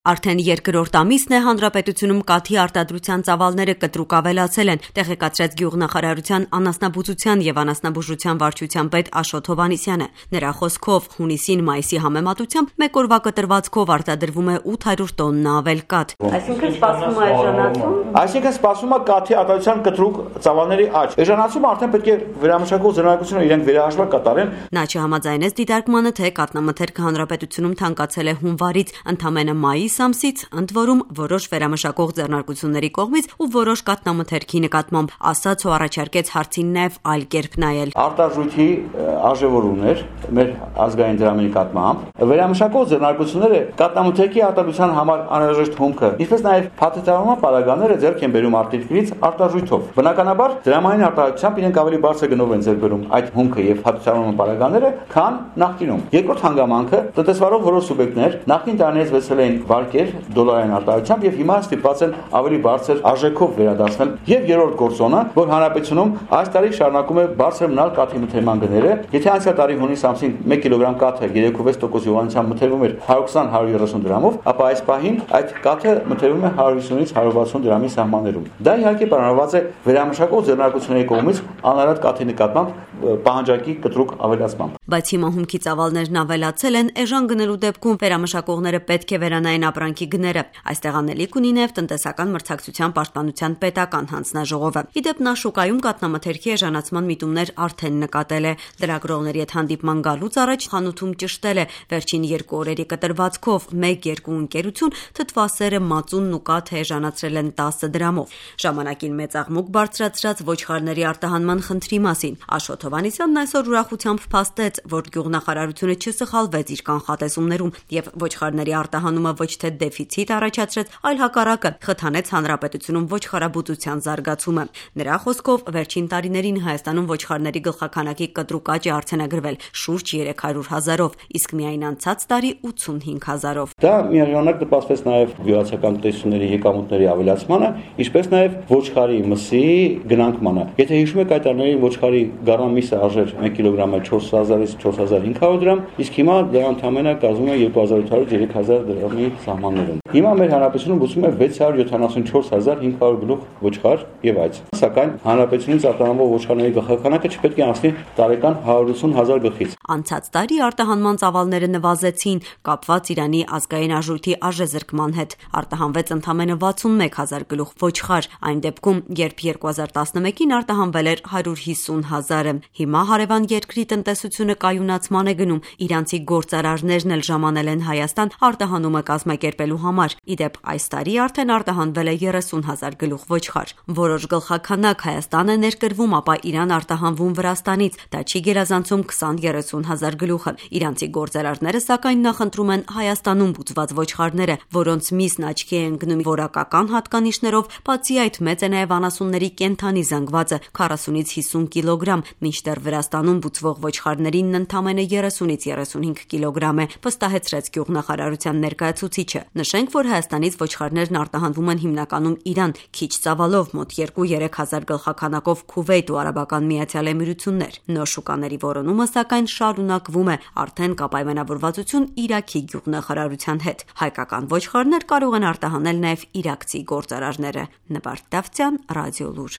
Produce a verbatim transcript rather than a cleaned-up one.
Արդեն երկրորդ ամիսն է հանրապետությունում կաթի արտադրության ծավալները կտրուկ ավելացել են, տեղեկացրեց Գյուղնախարարության անասնաբուծության և անասնաբուժության վարչության պետ Աշոտ Հովհաննիսյանը։ Նրա խոսքով հունիսին մայիսի համեմատությամբ մեկ օրվա կտրվածքով արտադրվում է ութ հարյուր տոննա ավել կաթ։ Այսինքն սպասվում է էժանացում։ Այսինքն սպասվում է կաթի արտադրության կտրուկ ծավալների աճ։ Էժանացումը արդեն պետք է վերամշակող ձեռնարկությունները իրենք վերահաշվար կատարեն։ Նա չհամաձայնեց դիտարկմանը, թե կաթնամթերքը հանրապետությունում թանկացել է հունվարից, ընդամենը մայիս ամսից, ընդ որում որոշ վերամշակող ձեռնարկությունների կողմից ու որոշ կաթնամթերքի նկատմամբ, ասաց ու առաջարկեց հարցին նաև այլ կերպ նայել։ Արտարժույթի արժևորումներ մեր ազգային դրամի նկատմամբ, վերամշակող ձեռնարկությունները կաթնամթերքի արտադրության համար անհրաժեշտ հումքը, ինչպես նաև փաթեթավորման պարագաները ձեռք են բերում արտերկրից արտարժույթով։ Բնականաբար դրամային արտադրությամբ իրենք ավելի բարձր գնով են ձեռք բերում այդ հումքը եւ փաթեթավորման պարագաները, քան նախկինում։ Երկրորդ հանգամանքը տնտեսվարող որոշ սուբյեկտներ նախկին տարիներից վերցրել են վարկեր դոլարային արտադրությամբ եւ հիմա ստիպված են ավելի բարձր արժեքով վերադարձնել։ Եվ երրորդ գործոնը, որ հանրապետությունում այս տարի շարունակում է բարձր մնալ կաթի մթերման գները, եթե անցյալ տարի հունիս ամսին մեկ կիլոգրամ կաթը երեք վեց տոկոս յուղանությամբ մթերվում էր հարյուր քսան հարյուր երեսուն դրամով, ապա այս պահին այդ կաթը մթերվում է հարյուր հիսունից հարյուր վաթսուն դրամի սահմաններում։ Դա իհարկե պայմանավորված է վերամշակող ձեռնարկությունների կողմից անարատ կաթի նկատմամբ պահանջարկի կտրուկ ավելացմամբ։ Բայց հիմա հումքի ծավալներն ավելացել են, էժան գնելու դեպքում վերամշակողները պետք է վերանային ապրանքի գները։ Այստեղ անելիք ունի նաև տնտեսական մրցակցության պաշտպանության պետական հանձնաժողովը։ Իդեպ նա շուկայում կաթնամթերքի էժանացման միտումներ արդեն նկատել է։ Լրագրողների հետ հանդիպման գալուց առաջ խանութում ճշտել է վերջին երկու օրերի կտրվածքով մեկ-երկու ընկերություն թթվասերը, մածունն ու կաթը էժանացրել են տասը դրամով։ Ժամանակին մեծ աղմուկ բարձրացրած ոչխարների արտահանման խնդրի մասին Աշոտ Հովհաննիսյանն այսօր ուրախությամբ փաստեց, որ Գյուղնախարարությունը չսխալվեց իր կանխատեսումներում եւ ոչխարների արտահանումը ոչ թե դեֆիցիտ առաջացրեց, այլ հակառակը խթանեց հանրապետությունում ոչխարաբուծության զարգացումը։ Նրա խոսքով վերջին տարիներին Հայաստանում ոչխարների գլխաքանակի կտրուկ աճ է արձանագրվել շուրջ երեք հարյուր հազարով, իսկ միայն անցած տարի ութսունհինգ հազարով։ Դա միաժամանակ նպաստեց նաև գյուղացիական տնտեսությունների եկամուտների ավելացմանը, ինչպես նաև ոչխարի մսի գնանկմանը։ Եթե հիշում եք, այդ տարիներին ոչխարի գարամիսը արժեր մեկ կիլոգրամը չորս հազարից չորս հազար հինգ հարյուր դրամ, իսկ հիմա դա ընդամենը կազմում է երկու հազար ութ հարյուր երեք հազար դրամի սահմաններում։ Հիմա մեր հանրապետությունում բուծում է վեց հարյուր յոթանասունչորս հազար հինգ հարյուր գլուխ ոչխար եւ այց։ Սակայն հանրապետությունից արտահանվող ոչխարների գլխաքանակը չպետք է անցնի տարեկան հարյուր ութսուն հազար գլխից։ Անցած տարի արտահանման ծավալները նվազեցին, կապված Իրանի ազգային արժույթի արժեզրկման հետ։ Արտահանվեց ընդամենը վաթսունմեկ հազար գլուխ ոչխար, այն դեպքում, երբ երկու հազար տասնմեկին արտահանվել էր հարյուր հիսուն հազարը։ Հիմա հարևան երկրի տնտեսությունը կայունացման է գնում, իրանցի գործարարներն էլ ժամանել են Հայաստան արտահանումը կազմակերպելու համար։ Իդեպ այս տարի արդեն արտահանվել է երեսուն հազար գլուխ ոչխար։ Որոշ գլխաքանակ Հայաստան է ներկրվում, ապա Իրան արտահանվում Վրաստանից, դա չի գերազանցում քսան-երեսուն հազար գլուխը։ Իրանցի գործարարները սակայն նախընտրում են Հայաստանում բուծված ոչխարները, որոնց միսն աչքի է ընկնում որակական հատկանիշներով, բացի այդ մեծ է նաև անասունների կենդանի զանգվածը քառասունից հիսուն կիլոգրամ, մինչդեռ Վրաստանում բուծվող ոչխարներին ընդամենը երեսունից երեսունհինգ կիլոգրամ է, վստահեցրեց Գյուղնախարարության ներկայացուցիչը։ Նշենք, որ Հայաստանից ոչխարներն արտահանվում են հիմնականում Իրան, քիչ ծավալով մոտ երկու-երեք հազար գլխաքանակով Քուվեյթ ու Արաբական Միացյալ Էմիրություններ։ Նոր շուկաների որոնումը սակայն շարունակվում է, արդեն կա պայմանավորվածություն Իրաքի գյուղնախարարության հետ։ Հայկական ոչխարներ կարող են արտահանել նաև իրաքցի գործարարները։ Նվարդ Դավթյան, Ռադիոլուր։